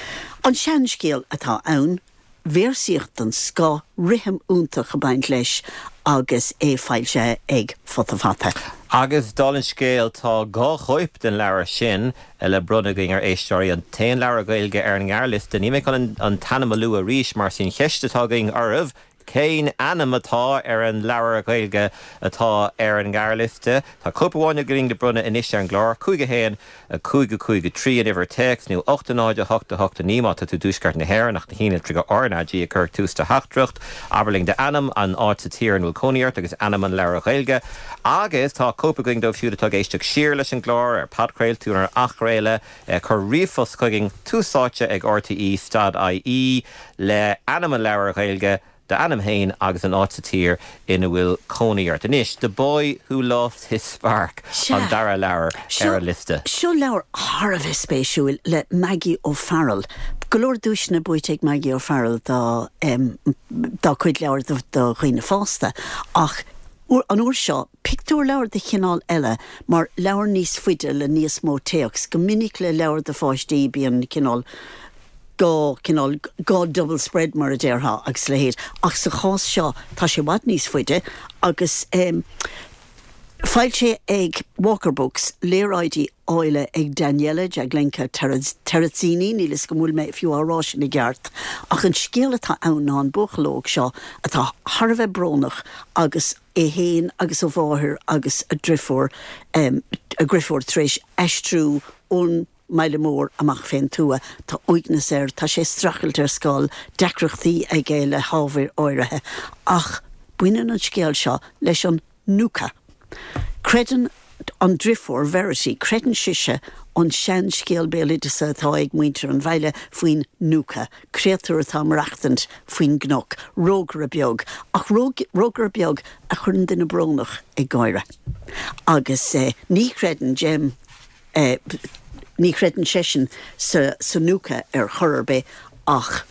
An seanscéal atá ann, véarsaíocht den scoth, rithim iontach ag baint leis agus é foilsithe ag Futa Fata. Agus dála an scéil tá dhá chóip den leabhar sin le bronnadh againn ar éisteoirí an t-aon leabhar Gaeilge ar an ngearrliosta. Níl mé chun an t-ainm a lua arís mar sin cheist atá againn oraibh Cén ainm atá ar an leabhar Gaeilge atá ar an ngearrliosta? Tá cóip amháin againn le bronnadh anois ar an gclár cúig a haon a cúig a cúig a trí an uimhir téacs nó ocht a náid a hocht a hocht a naoi má tá tú i dtuaisceart na hÉireann ach na haon litreacha R N A G a chur ag tús do theachtaireacht. Abair linn d'ainm, an áit sa tír ina bhfuil cónaí ort agus ainm an leabhair Ghaeilge. Agus tá cóip againn dóibh siúd atá ag éisteacht siar leis an gclár ar podchraoladh nó ar athchraoladh. Cuir ríomhphost chugainn tús áite ag rte stad ie le ainm an leabhair Ghaeilge, d'ainm féin agus an áit sa tír ina bhfuil cónaí ort. Anois, The Boy Who Lost His Spark, an dara leabhar ar an liosta. Seo leabhar thar a bheith spéisiúil le Maggie O'Farrell. Go leor duaiseanna buaite ag Maggie O'Farrell dá dá cuid leabhar do dhaoine fásta ach an uair seo, pictiúrleabhar de chineál eile mar leabhar níos faide le níos mó téacs. Go minic le leabhar do pháistí bíonn cineál dhá cineál dhá double spread mar a déarfá agus a leithéid ach sa chás seo tá sé i bhfad níos faide agus em foilsithe ag Walker Books, léaráidí áille ag Daniela Jaglenka Terrazzini, níl 'fhios agam an bhfuil mé fiú á rá sin i gceart, ach an scéal atá ann ná an buachaill óg seo atá thar a bheith brónach agus é féin agus a mháthair agus a driofúr em a dhriofúr tar éis aistriú ón mbaile mór amach fén tuath. Tá uaigneas air, tá sé ag streachailt ar scoil, deacrachtaí aige le hábhair áirithe. Ach baineann an scéal seo leis an Nuka. Creideann an driofúr, Verity, creideann sise an seanscéal béaloideasa atá ag muintir an bhaile faoin Nuka, créatúr atá ag maireachtaint faoin gcnoc, rógaire beag, ach rógaire beag a chuireann duine brónach ag gáire. Agus ní chreideann Jem, Ní chreideann seisean sa Nuka ar chor ar bith ach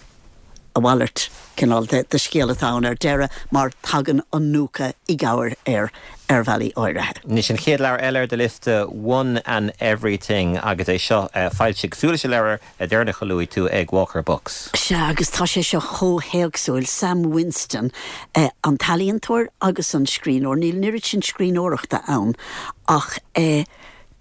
a mhalairt cineál de scéal atá ann ar deireadh mar tagann an Nuka i gcabhair air ar bhealaí áirithe. Anois an chéad leabhar eile ar do liosta, One and Everything agus é seo foilsithe cosúil leis an leabhar deireanach a luaigh tú ag Walker Books. Sea agus tá sé seo chomh héagsúil, Sam Winston an t-ealaíontóir agus an scríbhneoir, níl an oiread sin scríbhneoireachta ann ach eh,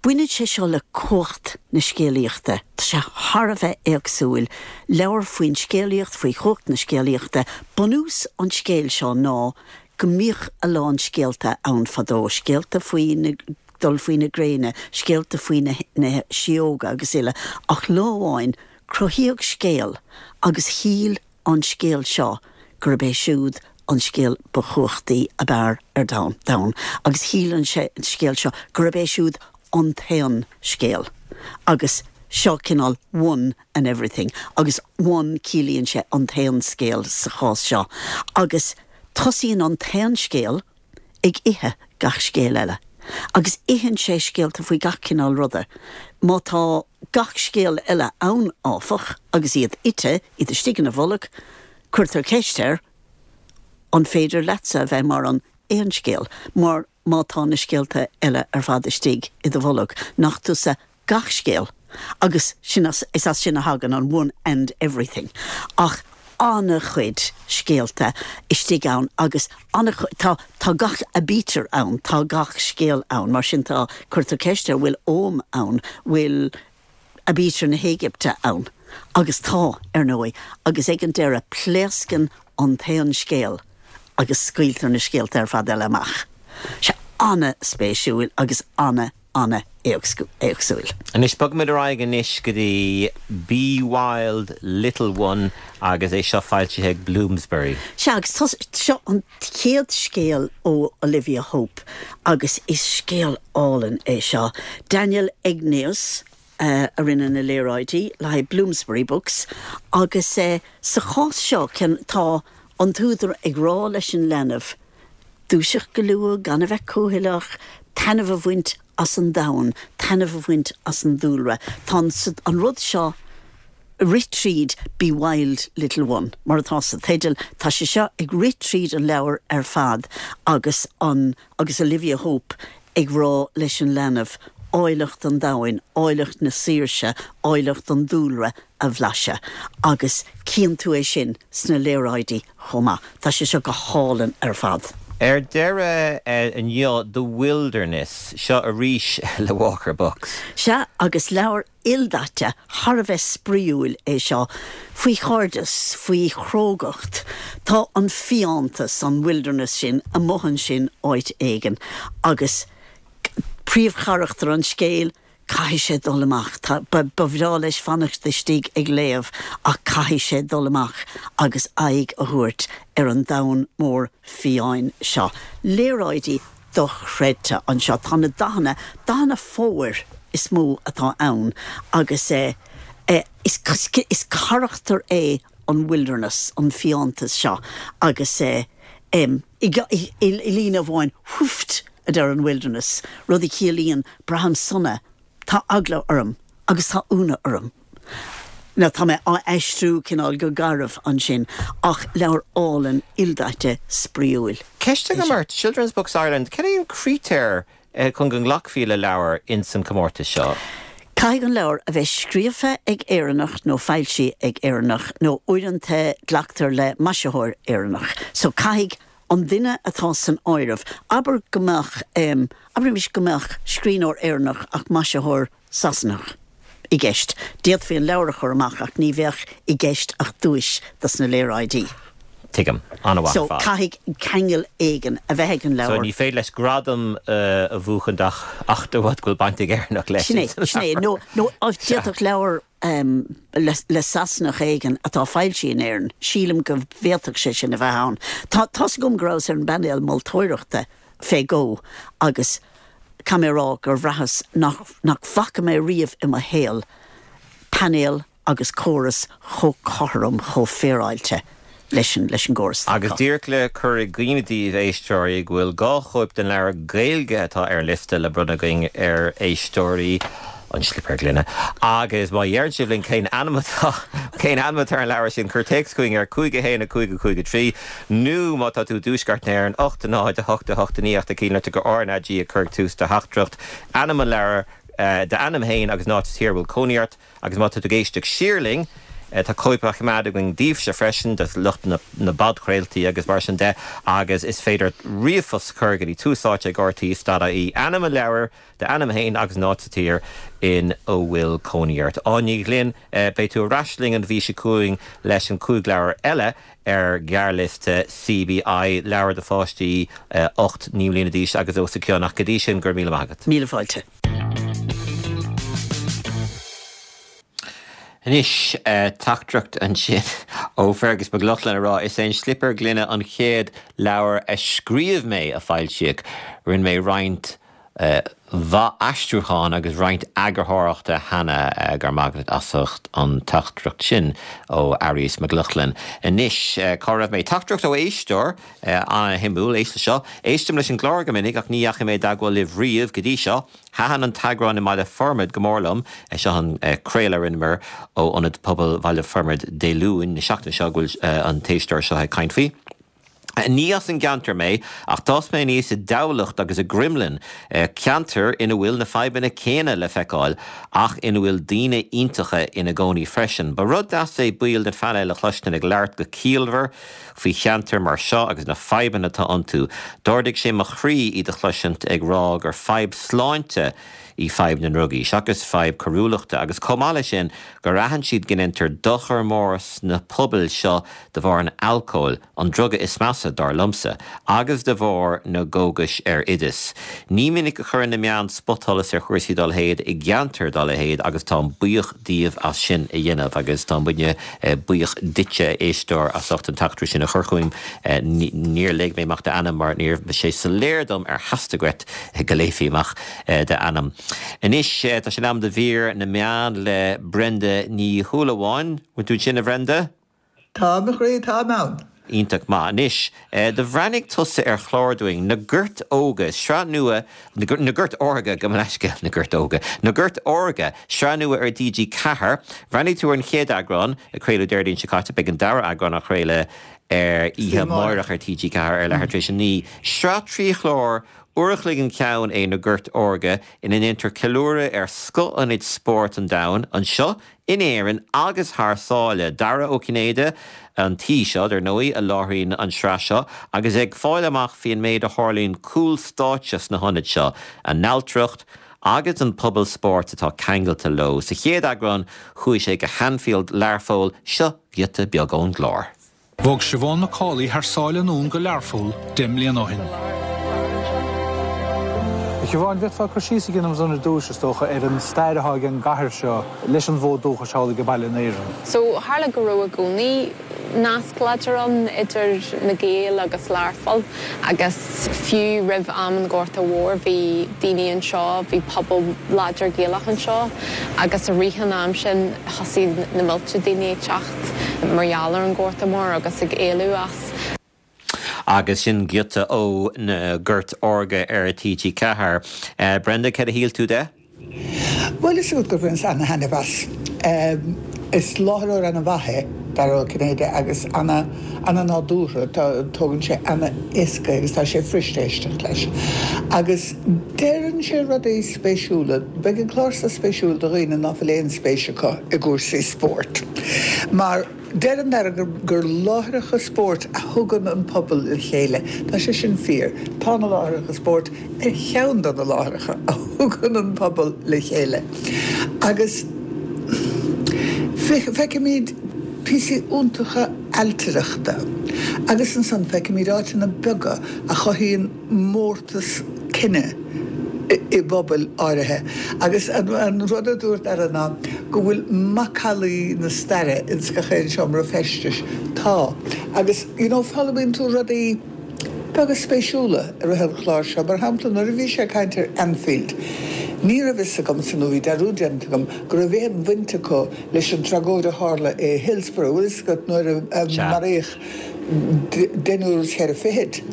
Baineann sé seo le cumhacht na scéalaíochta. Tá sé thar a bheith éagsúil. Leabhar faoin scéalaíocht, faoi chumhacht na scéalaíochta. Bunús an scéil seo ná go mbíodh a lán scéalta ann fadó, scéalta faoi na dul faoi na gréine, scéalta faoi na na síóga agus uile, ach lá amháin cruthaíodh scéal agus shíl an scéal seo gurb é siúd an scéal ba chumhachtaí ab fhearr ar domhan, agus shíl an scéal seo gurb é siúd an t-aon scéal. Agus seo cineál one and everything, agus one ciallaíonn sé an t-aon scéal sa chás seo. Agus tosaíonn an t-aon scéal ag ithe gach scéal eile. Agus itheann sé scéalta faoi gach cineál ruda. Má tá gach scéal eile ann, áfach, agus iad ite, iad istigh ina bholg, cuirtear ceist air, an féidir leatsa a bheith mar an aon scéal, mar má tá na scéalta eile ar fad istigh i do bholg, nach tusa gach scéal? Agus sin as, is as sin a thagann an one and everything. Ach an-chuid scéalta istigh ann agus an-chuid, tá, tá gach aibítir ann, tá gach scéal ann, mar sin tá, cuirtear ceist air, bhfuil Ogham ann, bhfuil aibítir na hÉigipte ann? Agus tá, ar ndóigh, agus ag an deireadh pléascann an t-aon scéal agus scaoiltear na scéalta ar fad eile amach. Sé an-spéisiúil agus ana, ana-éagsúil. Anois, bogfaimid ar aghaidh anois go dtí Be Wild, Little One agus é seo foilsithe ag Bloomsbury. Sea, agus seo an chéad scéal ó Olivia Hope agus is scéal álainn é seo. Daniel Egneus a rinne na léaráidí le haghaidh Bloomsbury Books agus sa chás seo tá an t-údar ag rá leis an leanbh dúiseacht go luath, gan a bheith cúthaileach, taitneamh a bhaint as an domhan, taitneamh a bhaint as an dúlra. Tá an rud seo rith tríd Be Wild Little One, mar atá sa teideal, tá sé seo ag rith tríd an leabhar ar fad agus an agus Olivia Hope ag rá leis an leanbh áilleacht an domhain, áilleacht na saoirse, áilleacht an dúlra a bhlaiseadh. Agus cíonn tú é sin sna léaráidí chomh maith. Tá sé seo go hálainn ar fad. Ar deireadh inniu, The Wilderness, seo arís le Walker Books. Sea, agus leabhar ildaite thar a bheith spraíúil é seo, faoi chairdeas, faoi chrógacht. Tá an fiántas, an wilderness sin, amuigh ansin áit éigin agus príomhcharachtar an scéil, caithfidh sé dul amach. Tá, ba, ba bhreá leis fanacht istigh ag léamh ach caithfidh sé dul amach agus aghaidh a thabhairt ar an domhan mór fiáin seo. Léaráidí dochreidte anseo. Tá na dathanna, dathanna fómhair is mó atá ann agus eh, eh, is, is carachtar é an wilderness, an fiántas seo agus eh, em, i, i, i, i líne amháin, whooft, a deir an wilderness, rud a chiallaíonn braithim sona, tá eagla orm agus tá ionadh orm. Now tá mé á aistriú cineál go garbh ansin ach leabhar álainn ildaite spraíúil. Ceist agam ort, Children's Books Ireland, cén é an critéar chun go nglacfaí le leabhar ins an comórtas seo? Caithfidh an leabhar a bheith scríofa ag Éireannach nó foilsithe ag Éireannach nó uaireanta glactar le maisitheoir Éireannach. So caithfidh an duine atá san áireamh. Abair go mbeadh um, abraimis go mbeadh scríbhneoir Éireannach ach maisitheoir Sasanach i gceist. D'fhéadfaí an leabhar a chur amach ach ní bheadh i gceist ach duais dos na léaráidí. Tuigim, an-mhaith So caithfidh ceangal éigin a bheith ag an So leabhar. ní féidir leis gradam uh, a bhuachan ach ach de bharr go bhfuil baint ag Éireannach leis. Sin é, sin é, nó nó d'fhéadfadh leabhar um, le, le Sasanach éigin atá foilsithe in Éirinn. Sílim go bhféadfadh sé sin a bheith ann. Tá tá gom grás ar an bpainéal moltóireachta fé go agus tá mé rá gur bhraitheas nach, nach bhfaca mé riamh i mo shaol painéal agus córas chomh cothrom chomh féaráilte leis an leis an gcóras. Agus díreach le cur i gcuimhne daoibh éisteoirí go bhfuil dhá chóip den leabhar Gaeilge atá ar an liosta le bronnadh againn ar éisteoirí an Slipéar Gloine. Agus má deireann sibh linn cén ainm atá cén ainm atá ar an leabhar sin cuir téacs chugainn ar cúig a haon a cúig a cúig a trí nó má tá tú i dtuaisceart na hÉireann ocht náid a hocht a hocht a naoi ach cín le go RnaG a chur tús do theachtaireacht ainm an leabhar uh, d'ainm féin agus an áit sa tír bhfuil cónaí ort agus má tá tú ag éisteacht siar linn tá cóip á choimeád againn daoibhse freisin do lucht na, na bpodchraoltaí agus mar sin de agus is féidir ríomhphost chur go dtí Tús Áite ag RTÉ dot ie ainm an leabhar d'ainm féin agus an áit sa tír in a bhfuil cónaí ort. Áine Ní Ghlinn beidh tú ar ais linn an mhí seo chugainn leis an cúig leabhar eile ar ghearrliosta CBI leabhar do pháistí ocht naoi mbliana d'aois agus os a chionn ach go dtí sin go raibh míle maith agat. Míle fáilte. Anois teachtaireacht ansin ó Fergus Mac Lochlainn a rá is é an Slipéar Gloine an chéad leabhar a scríobh mé a foilsíodh. Rinne mé roinnt mhaith aistriúchán agus roinnt eagarthóireachta cheana go raibh maith agat as ucht an teachtaireacht sin ó Aries Mac Lochlainn. Anois cá raibh mé teachtaireacht ó éisteoir an-shuimiúil éist leis seo. Éistim leis an gclár go minic ach ní dheachaigh mé i dteagmháil libh riamh go dtí seo. Thaitin an t-eagrán i mBaile Formaid go mór liom seo an craoladh a rinneamar ó Ionad Pobail Bhaile Formaid Dé Luain na seachtaine seo go bhfuil an t-éisteoir seo ag caint faoi. Ní as an gceantar mé ach d'fhás mé aníos i dTamhlacht agus i gCromghlinn, ceantar ina bhfuil na fadhbanna céanna le feiceáil ach ina bhfuil daoine iontacha ina gcónaí freisin. Ba rud deas é baill den phainéal a chloistin ag labhairt go ciallmhar faoi cheantar mar seo agus na fadhbanna atá iontu. D'ardaigh sé mo chroí iad a chloisint ag rá gur fadhb sláinte í fadhb na ndrugaí, seachas fadhb coiriúlachta, agus chomh maith leis sin gur aithin siad go ndéantar dochar mór sna pobail seo de bharr an alcóil, an druga is measa dar liomsa, agus de bharr na gcógas ar oideas. Ní minic a chuireann na meáin spotsholas ar chúrsaí dá leithéid i gceantar dá leithéid agus táim buíoch díobh as sin a dhéanamh agus tá muidne buíoch duitse éisteoir as ucht an teachtaireacht sin a chur chugainn. Níor léigh mé amach d'ainm mar ní raibh sé soiléir dom ar theastaigh uait go léifí amach d'ainm. Anois tá sé in am do mhír na meán le Brenda Ní Shúilleabháin. Bhfuil tú ansin a Bhrenda? Tá mo chroí, táim ann. Iontach maith. Anois, do bhreathnaigh tusa ar chlár dúinn, Na Goirt Óga, sraith nua, Na Goirt Órga, gabh mo leithscéal, Na Goirt Óga, Na Goirt Órga, sraith nua ar D G ceathair. Bhreathnaigh tú ar an chéad eagrán, a craoladh Déardaoin seo caite, beidh an dara eagrán á chraoladh ar oíche amárach ar T G ceathair ar leathuair tar éis a naoi. Sraith trí chlár Uair a chloig an ceann é Na Goirt Órga ina ndéantar ceiliúradh ar scoth-ionaid spóirt an domhain, anseo in Éirinn agus thar sáile. Dara Ó Cinnéide, an t-aoi seo, dar ndóigh, a láithríonn an tsraith seo agus é ag fáil amach faoin méid a tharlaíonn cúl stáitse sna hionaid seo, a n-ailtireacht agus an pobal spóirt atá ceangailte leo. Sa chéad eagrán chuaigh sé go hAnfield Learpholl. Seo giota beag ón gclár. Bhog Siobhán McCauley thar sáile anonn go Learpholl deich mbliana ó shin. A Shiobhán, bhféadfá cur síos a dhéanamh dúinn ar dtús, is dócha, ar an stair atá ag an gcathair seo leis an bhfód dúchais thall ag baile in Éirinn. So tharla go raibh i gcónaí nasc láidir ann idir na Gaeil agus Learpholl agus fiú roimh am an Ghorta Mhóir bhí daoine anseo, bhí pobal láidir Gaelach anseo agus i rith an am sin thosaigh na mílte daoine ag teacht mar gheall ar an Ghorta Mór agus ag éalú as. Agus sin giota ó na Goirt Órga ar T G Ceathair. Brenda, céard a shíl tú de? Bhuel, is gur bhaineas ana-thaitneamh as. Is láithreoir ana-mhaith é Dara Ó Cinnéide agus ana ana-nádúrtha, tógann sé ana-éasca agus tá sé fuirist éisteacht leis. Agus deireann sé rudaí spéisiúla. Beidh an clár seo spéisiúil do dhaoine ná fuil aon spéis acu i gcúrsaí spóirt. Mar deireann Dara gur, gur láithreacha spóirt a thugann an pobal le chéile. Tá sé sin fíor. Tá na láithreacha spóirt ar cheann de na láithreacha a thugann an pobal le chéile. Agus feicimid píosaí iontacha ailtireachta agus ansan feicimid áiteanna beaga a chothaíonn mórtas cine i bpobail áirithe. Agus an rud a dúirt Dara ná go bhfuil macallaí na staire ins gach aon seomra feistis. Tá. Agus you know, foghlaimíonn tú rudaí beaga spéisiúla i rith an chláir seo. Mar shampla nuair a bhí sé ag caint ar Anfield, Ní raibh fhios agamsa nó bhí dearúd déanta agam go raibh aon bhaint acu leis an tragóid a tharla i Hillsborough, bhfuil fhios agat nuair a maraíodh deichniúr is ceithre fichid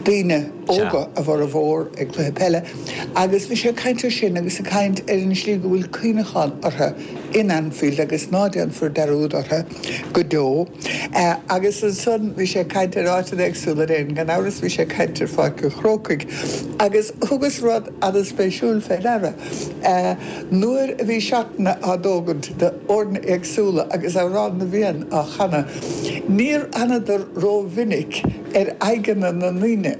daoine óga a bhformhór ag cluiche peile agus bhí sé ag caint ar sin agus ag caint ar an slí go bhfuil cuimhneachán orthu in Anfield agus ná déanfar dearúd orthu go deo. Agus ansan bhí sé ag caint ar áiteanna éagsúla in Éirinn, gan amhras bhí sé ag caint ar Pháirc an Chrócaigh agus thugas rud an-spéisiúil fé ndeara. Nuair a bhí seatanna á dtógaint de fhoirne éagsúla agus Amhrán na bhFiann á chanadh, níor fhanadar rómhinic ar aghaidheanna na ndaoine.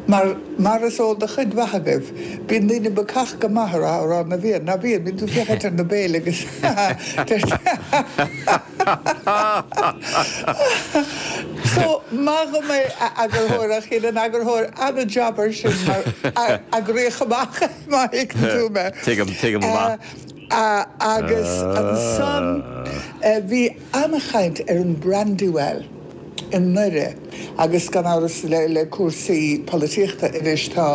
Mar, mar is eol do chuid mhaith agaibh, bíonn daoine bacach go maith ar Amhrán na bhFiann, ná bíonn? Bíonn tú ag féachaint ar na béil agus So, maith dhom é, a eagarthóir, ach dhein an eagarthóir ana-jab air sin mar eagraíodh amach é, má thuigeann tú mé. Tuigim, tuigim go maith. Agus ansan bhí ana-chaint ar an Brandywell i nDoire agus gan amhras le cúrsaí polaitíochta anois tá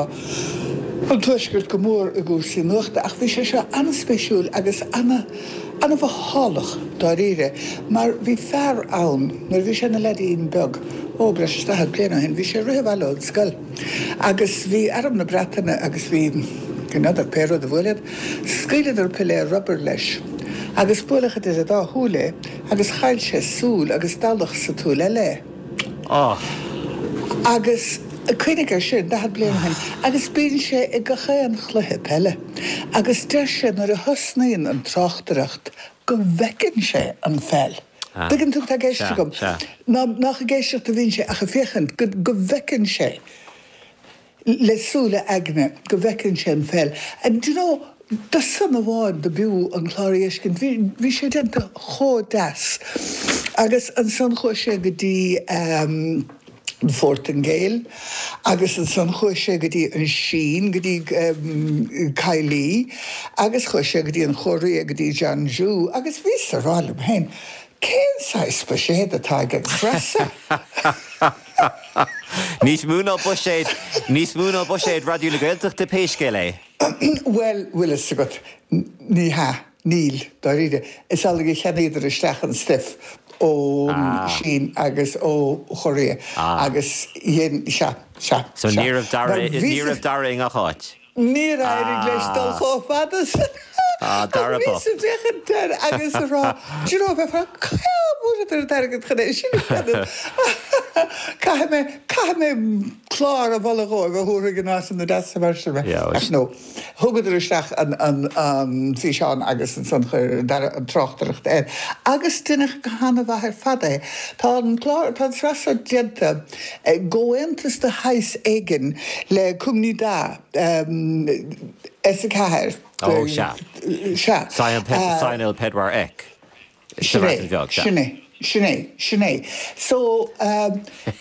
an Tuaisceart go mór i gcúrsaí nuachta ach bhí sé seo an-spéisiúil agus ana-mhothálach dáiríre mar bhí fear ann nuair a bhí sé ina leaidín beag, ó breis is daichead bliain ó shin, bhí sé ag rith abhaile ón scoil agus bhí Arm na Breataine agus bhí, n'fheadar, pé rud a bhuail iad, scaoileadar piléar rubair leis agus buaileadh idir a dá shúil é agus chaill sé súil agus dallach sa tsúil eile é. Agus cuimhnigh air sin, daichead bliain ó shin, agus bíonn sé ag gach aon chluiche peile. Agus deir sé nuair a thosnaíonn an tráchtaireacht go bhfeiceann sé an pheil. Tuigeann tú cad tá i gceist agam? Ná nach ag éisteacht a bhíonn sé ach ag féachaint, go go bhfeiceann sé le súile a aigne, go bhfeiceann sé an pheil. And do you know, do san amháin do b'fhiú an clár a fheiscint. Bhí bhí sé déanta chomh deas. Agus ansan chuaigh sé go dtí an Phortaingéil agus ansan chuaigh sé go dtí an Sín, go dtí Kaili agus chuaigh sé go dtí an Chóiré, go dtí Jeonju agus bhíos a rá liom féin, cén saghas buiséad atá ag an tsraith seo? Níos mó ná buiséad, níos mó ná buiséad Raidió na Gaeltachta pé scéal é. Bhuel, bhfuil fhios agat, ní hea, níl, dáiríre. Is amhlaidh a cheannaíodar isteach an stuif ón Sín agus ó Chóiré agus dhein, sea, sea, So sea. ní raibh Dara, Mar ní bhí raibh Dara i ngach áit? Níor éirigh leis dul chomh fada san Ah, ach Dara bhíos bocht. ag féachaint air agus ag rá, do you know, bheifeá, cá bhfuaireadar an t-airgead chun é sin a dhéanamh? Caithfidh mé, caithfidh mé clár a mholadh dhóibh a thabharfaidh in áiteanna deasa mar sin mé. Ach no, thugadar isteach an an an físeán agus ansan chuir Dara an tráchtaireacht air. Agus deineadh go han-mhaith ar fad é. Tá an clár, tá an tsraith seo déanta i gcomhaontas de shaghas éigin le Cwmni Da, S a ceathair. Ó, sea. Sea. Sianel pedwar ec. Sin é, sin é, sin é, sin é. So,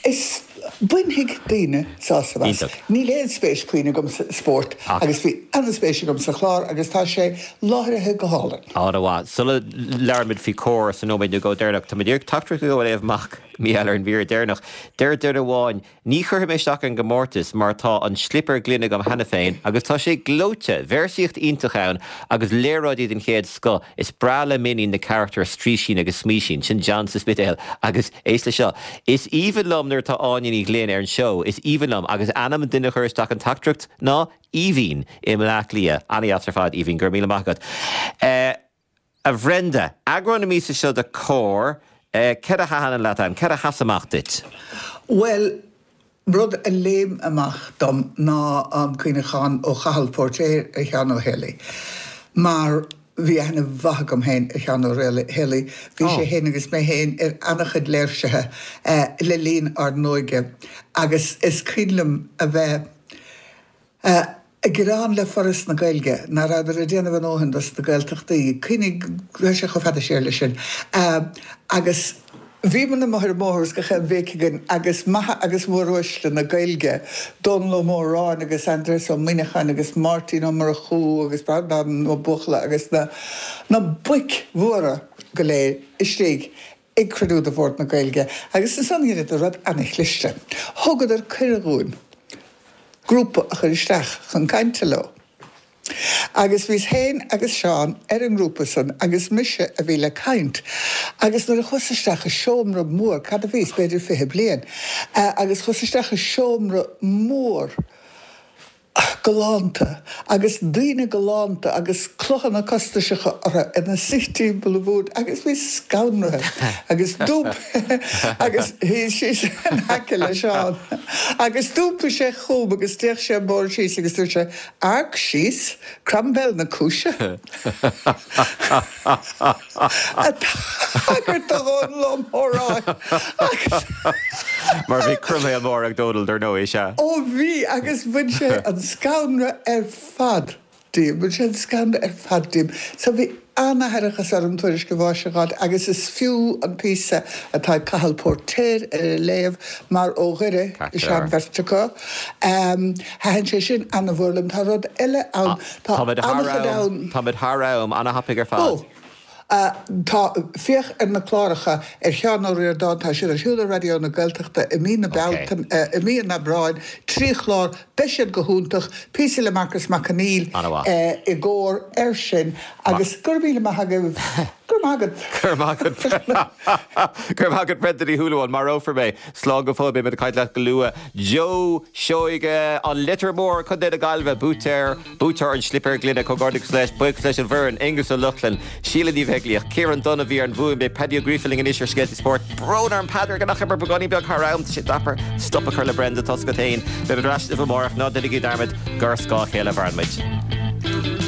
is, bainfidh daoine sásamh as. Níl aon spéis puinn agam sa spórt agus bhí an-spéis agam sa chlár agus tá sé láithrithe go hálainn. An-mhaith. Sula labhraímid faoi Comhar sa nóiméad nó dhó deireanach, tá muid ag iarraidh teachtaireacht a léamh amach Mícheál ar an mhír deireanach. Deir duine amháin, Ní chuirfidh mé isteach ar an gcomórtas mar tá an slipéar gloine agam cheana féin agus tá sé gleoite! Véarsaíocht iontach ann agus léaráidí den chéad scoth. Is breá le m'iníon na carachtair Straoisín agus Smaoisín. Sin John sa Spidéal. Agus éist le seo, Is aoibhinn liom nuair atá Áine Ní Ghlinn ar an seó. Is aoibhinn liom. Agus ainm an duine a chuir isteach an teachtaireacht ná Aoibhín i mBleá Cliath. An-dheas ar fad, Aoibhín. Go raibh míle maith agat. A Bhrenda, eagrán na míosa seo de Comhar, céard a thaitin leat ann? Céard a sheas amach duit? Bhuel, rud a léim amach dom ná an cuimhneachán ó Chathal Póirtéir ar Sheán Ó Héalaí. Mar bhí aithne mhaith agam féin ar Sheán Ó Héalaí, bhí sé féin agus mé féin ar an-chuid léirsithe le linn ár n-óige agus is cuimhin liom a bheith ag gearán le Foras na Gaeilge nach rabhadar ag déanamh a ndóthain dos na Gaeltachtaí, cuimhnigh, tá sé chomh fada siar leis sin, agus bhíomar amuigh ar an mbóthar is gach aon bhéic againn agus maithe agus móruaisle na Gaeilge, Dónall Ó Móráin agus Aindreas Ó Muineacháin agus Máirtín Ó Murchú agus Breandán Ó Buachalla agus na na boic mhóra go léir istigh ag cruinniú de Bhord na Gaeilge agus ansan dheineadar rud ana-chliste, thugadar cuireadh dhúinn. grúpa a chur isteach chun cainte leo. Agus bhíos féin agus Seán ar an ngrúpa san agus mise a bhí le caint. Agus nuair a chuas isteach i seomra mór, cad a bhíos, b'fhéidir fiche bliain, agus chuas isteach i seomra mór galánta agus daoine galánta agus cloghanna costasacha orthu ina suí timpeall an bhoird agus bhíos scanraithe agus d'iompaigh agus shuíos síos in aice le Seán agus d'iompaigh sé chugam agus d'fhéach sé an bord síos agus dúirt sé Amharc síos, Croiméal na cúise. Ag tagairt do Dhónall Ó Móráin agus. Mar bhí croiméal mór ag Dónall dar ndóigh, is ea? Ó bhí agus bhain sé an scanradh ar fad díom, bhain sé an scanradh ar fad díom. So bhí an-aithreachas orm tuairisc a bháis a dh'fháilt agus is fiú an píosa atá ag Cathal Póirtéir air a léamh mar ó Dhoire is ea an bheirt acu. Thaitin sé sin ana-mhór liom. Tá rud eile ann, tá an-chuid ann. Táimid thar am, ana-thapaidh ar fad. Ó! Tá, féach ar na cláracha ar Sheán Ó Ríordáin, tá siad ar siúl ar Raidió na Gaeltachta i mí na Bealtaine, i mí an Aibreáin, trí chlár, beidh siad go hiontach, píosa le Marcas Mac Conghail i gcomhar air sin agus go raibh míle maith agaibh, go raibh maith agat. Go raibh maith agat, go raibh maith agat Brenda Ní Shúilleabháin, marófar mé, slán go fóill, beidh muid ag caint leat go luath. Joe Seoige, an Leitir Móir, Contae na Gaillimhe, buaiteoir. Buaiteoir an Slipéir Gloine, comhghairdeachas leis, buíochas leis an bhfoireann, Aonghus Ó Lochlainn, Síle Ní Bheaglaoich, Ciarán Dunne a bhí ar an bhfuaim, beidh Paddy Ó Gríofa linn anois ar Scéalta Spóirt. Brón orm Peadar go ndeachaigh muid beagáinín beag thar am, tá sé deacair stop a chur le Brenda, tá a fhios agat féin. Beimid ar ais libh amárach, ná déanaigí dearmad gur ar scáth a chéile a mhaireann muid.